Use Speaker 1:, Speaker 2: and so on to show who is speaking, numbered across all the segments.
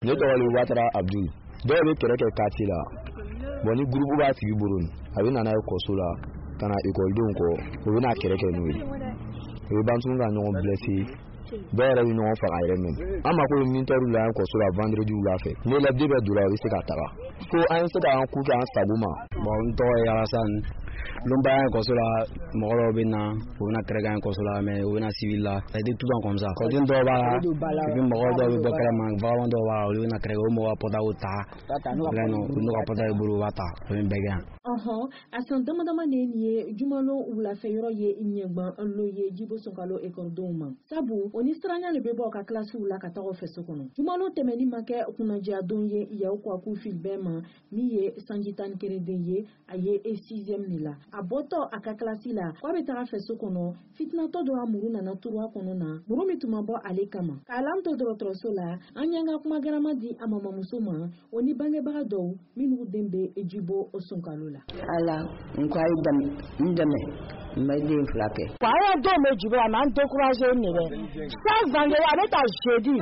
Speaker 1: Ne tɔgɔ de Watara Abdul. Dɔw bɛ kɛlɛ kɛ quartier la. Bon, ni groupe b'a tigi bolo, a bɛ na n'a ye kɔso la ka na ekɔlidenw kɔ, u bɛ na kɛlɛ kɛ n'o ye. U bɛ ban tuguni ka ɲɔgɔn blessé, dɔw yɛrɛ bɛ ɲɔgɔn faga yɛrɛ même. An mako bɛ militaire la yan kɔso la vendredi wula fɛ. Ni élève bɛɛ donna, u bɛ se ka taga fo an ye se k'an ku kɛ an sago ma.
Speaker 2: Bon, n tɔgɔ ye Alassane. Lonba yan kɔso la, mɔgɔ dɔw bɛ na, u bɛna kɛlɛ kɛ yan kɔso la, mais u bɛna civil la. Ça a été tout le temps comme ça. Kɔden dɔw b'a la, et puis mɔgɔ dɔw bɛ bɔ kɛnɛma, vagabond dɔw b'a la, olu bɛna kɛlɛ kɛ, o mɔgɔ ka portable ta bila yen nɔ, n'u ka portable bolo, u b'a ta, o bɛ bɛɛ kɛ yan.
Speaker 3: Ɔhɔn, a san dama dama de nin ye jumalon wulafɛ yɔrɔ ye ɲɛgban lo ye Jibo Sunkalo ekɔlidenw ma, sabu o ni siranya de bɛ bɔ ka kilasiw la ka taga fɛ so kɔnɔ. Jumalon tɛmɛni ma kɛ kunnadiya don ye Yaw Kwaku Filibɛn ma, min ye sanji 11 den ye, a ye e sixième de la. A bɔtɔ a ka kilasi la k'a bɛ taga fɛ so kɔnɔ, fitinatɔ dɔ a muru nana turu a kɔnɔ na, muru min tun ma bɔ ale kama. K'a lan to dɔgɔtɔrɔso la, an y'an ka kuma garama di a mamamuso ma, o ni bangebaga dɔw minnu den bɛ Jibo Sunkalo la.
Speaker 4: Ala n ko a ye dɛmɛ, n dɛmɛ, n bɛ den fila kɛ.
Speaker 5: An ka denw bɛ Jibo la, mais an découragé de bɛ. Chaque vendredi, a bɛ taa jeudi,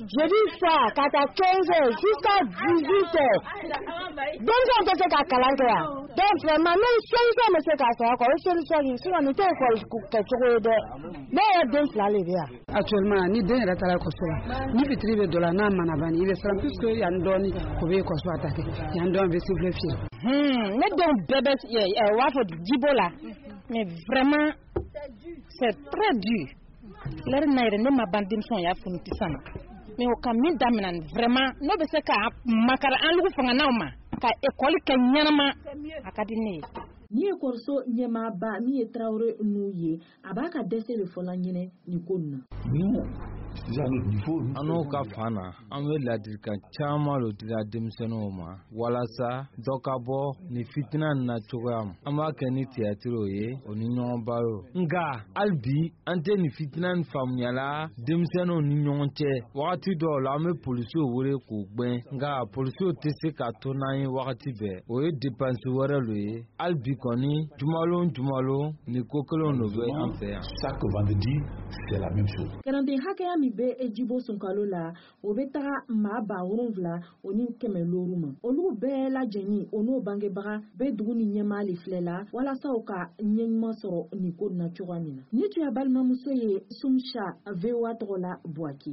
Speaker 5: jeudi soir ka taa 15 heures jusqu'à 18 heures. Denmisɛnw tɛ se ka kalan kɛ yan. Donc vraiment, ni solution bɛ se k'a sɔrɔ quoi, o ye solution ɲini, sinon nin tɛ école kɛcogo ye dɛ. Ne yɛrɛ den fila de bɛ yan.
Speaker 6: Actuellement, ni den yɛrɛ taara ekɔliso la, ni fitiri bɛ dɔ la, n'a mana ban, i bɛ siran puisque yan dɔɔni o bɛ ekɔliso attaquer, yan dɔɔni bɛ sifflet fiyɛ.
Speaker 5: Ne denw bɛɛ bɛ u b'a fɔ Jibo la, mais vraiment, c'est très dur. Lɛri na yɛrɛ, ne ma ban denmisɛnw y'a funu sisan na, mais o ka min daminɛ, vraiment, n'o bɛ se ka makara an lugu fanganaw ma ka ekɔli kɛ ɲɛnama, a ka di ne ye.
Speaker 3: Ni ekɔliso ɲɛmaaba min ye Tarawele n'u ye, a b'a ka dɛsɛ de fɔla ɲɛnɛ nin ko nin na.
Speaker 7: An n'o ka fan na, an bɛ ladilikan caman lo dila denmisɛnninw ma walasa dɔ ka bɔ nin fitina nin na cogoya ma. An b'a kɛ ni tiyatiriw ye, o ni ɲɔgɔn baro, nka hali bi an tɛ nin fitina nin faamuyala denmisɛnninw ni ɲɔgɔn cɛ. Wagati dɔw la, an bɛ polisiw wele k'u gwɛn, nka polisiw tɛ se ka to n'an ye wagati bɛɛ, o ye dépense wɛrɛ lo ye. Hali bi kɔni, jumalon jumalon, nin ko kelenw lo bɛ an fɛ yan.
Speaker 8: Chaque vendredi, c'est la même chose.
Speaker 3: Kalanden hakɛya min bɛ Jibo Sunkalo la, o bɛ taga maa 7500 ma. Olu bɛɛ lajɛlen, o n'o bangebaga bɛ dugu ni ɲɛmaa le filɛ la walasa u ka ɲɛ ɲuman sɔrɔ nin ko na cogoya min na. Ni tun y'a balimamuso ye Sumsa, VOA tɔgɔ la, Buwake.